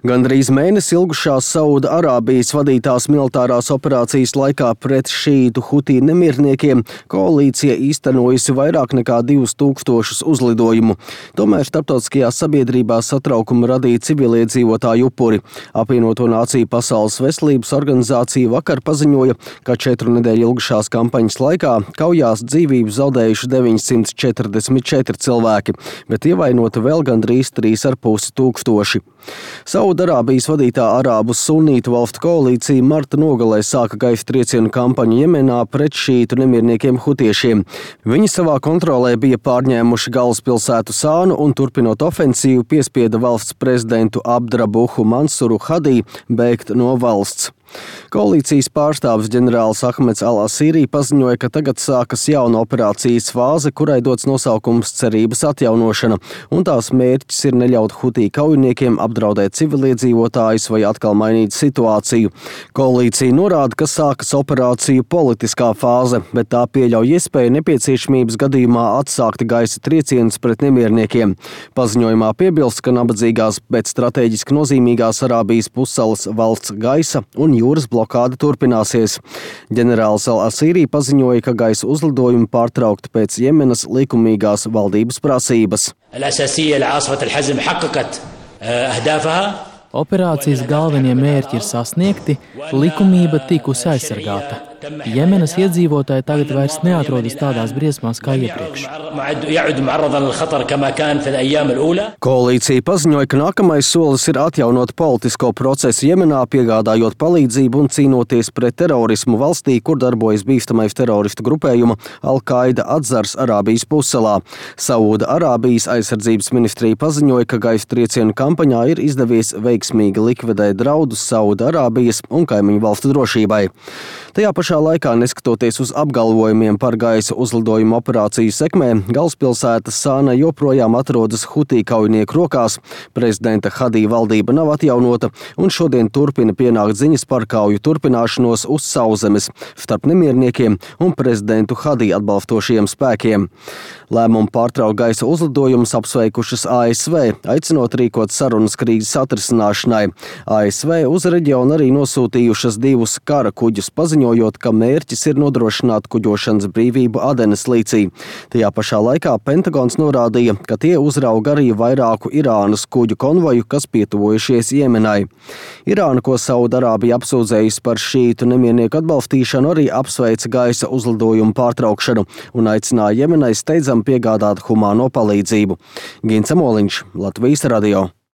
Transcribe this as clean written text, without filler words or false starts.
Gandrīz mēnesi ilgušās Sauda Arābijas vadītās militārās operācijas laikā pret šītu hutī nemierniekiem koalīcija īstenojusi vairāk nekā 2000 uzlidojumu. Tomēr starptautiskajā sabiedrībā satraukumu radīja civiliedzīvotāju upuri. Apvienoto Nāciju Pasaules veselības organizācija vakar paziņoja, ka 4 nedēļu ilgušās kampaņas laikā kaujās dzīvību zaudējuši 944 cilvēki, bet ievainoti vēl gandrīz 3,5 tūkstoši. Saudarābijas vadītā arābu sunītu valstu koalīcija marta nogalē sāka gaisa triecienu kampaņu Jemenā pret šītu nemierniekiem hutiešiem. Viņi savā kontrolē bija pārņēmuši galvaspilsētu Sānu un, turpinot ofensīvu, piespieda valsts prezidentu Abdrabuhu Mansuru Hadī bēgt no valsts. Koalīcijas pārstāvis ģenerālis Ahmeds Al-Asīrī paziņoja, ka tagad sākas jauna operācijas fāze, kurai dots nosaukums cerības atjaunošana, un tās mērķis ir neļaut hutī kaujiniekiem apdraudēt civiliedzīvotājus vai atkal mainīt situāciju. Koalīcija norāda, ka sākas operāciju politiskā fāze, bet tā pieļauj iespēju nepieciešamības gadījumā atsākt gaisa triecienus pret nemierniekiem. Paziņojumā piebilst, ka nabadzīgās, bet strateģiski nozīmīgās Arābijas pussalas valsts gaisa un jūras blokāde turpināsies. Ģenerālis Al-Asīrī paziņoja, ka gaisa uzlidojumi pārtraukti pēc Jemenas likumīgās valdības prasības. Operācijas galvenie mērķi ir sasniegti, likumība tikusi aizsargāta. Jemenas iedzīvotāji tagad vairs neatrodas tādās briesmās kā iepriekš. Koalīcija paziņoja, ka nākamais solis ir atjaunot politisko procesu Jemenā, piegādājot palīdzību un cīnoties pret terorismu valstī, kur darbojas bīstamais teroristu grupējuma Al-Qaida atzars Arābijas pussalā. Sauda Arābijas aizsardzības ministrija paziņoja, ka gaisa triecienu kampaņā ir izdevies veiksmīgi likvidēt draudus Sauda Arābijas un kaimiņu valstu drošībai. Tajā pašā laikā, neskatoties uz apgalvojumiem par gaisa uzlidojumu operāciju sekmē, galvaspilsēta Sāna joprojām atrodas hutī kaujinieku rokās, prezidenta Hadī valdība nav atjaunota un šodien turpina pienākt ziņas par kauju turpināšanos uz sauszemes starp nemierniekiem un prezidentu Hadī atbalstošiem spēkiem. Lēmumu pārtraukt gaisa uzlidojumus apsveikušas ASV, aicinot rīkot sarunas krīzes atrisināšanai. ASV uz reģionu arī nosūtījušas 2 kara kuģus, paziņojot, ka mērķis ir nodrošināt kuģošanas brīvību Adenas līcī. Tajā pašā laikā Pentagons norādīja, ka tie uzrauga arī vairāku Irānas kuģu konvoju, kas pietuvojušies Jemenai. Irāna, ko Saudarābija apsūdzējusi par šītu nemiernieku atbalstīšanu, arī apsveica gaisa uzlidojumu pārtraukšanu un aicināja Jemenai steidzam piegādāt humāno palīdzību. Gins Amoliņš, Latvijas radio.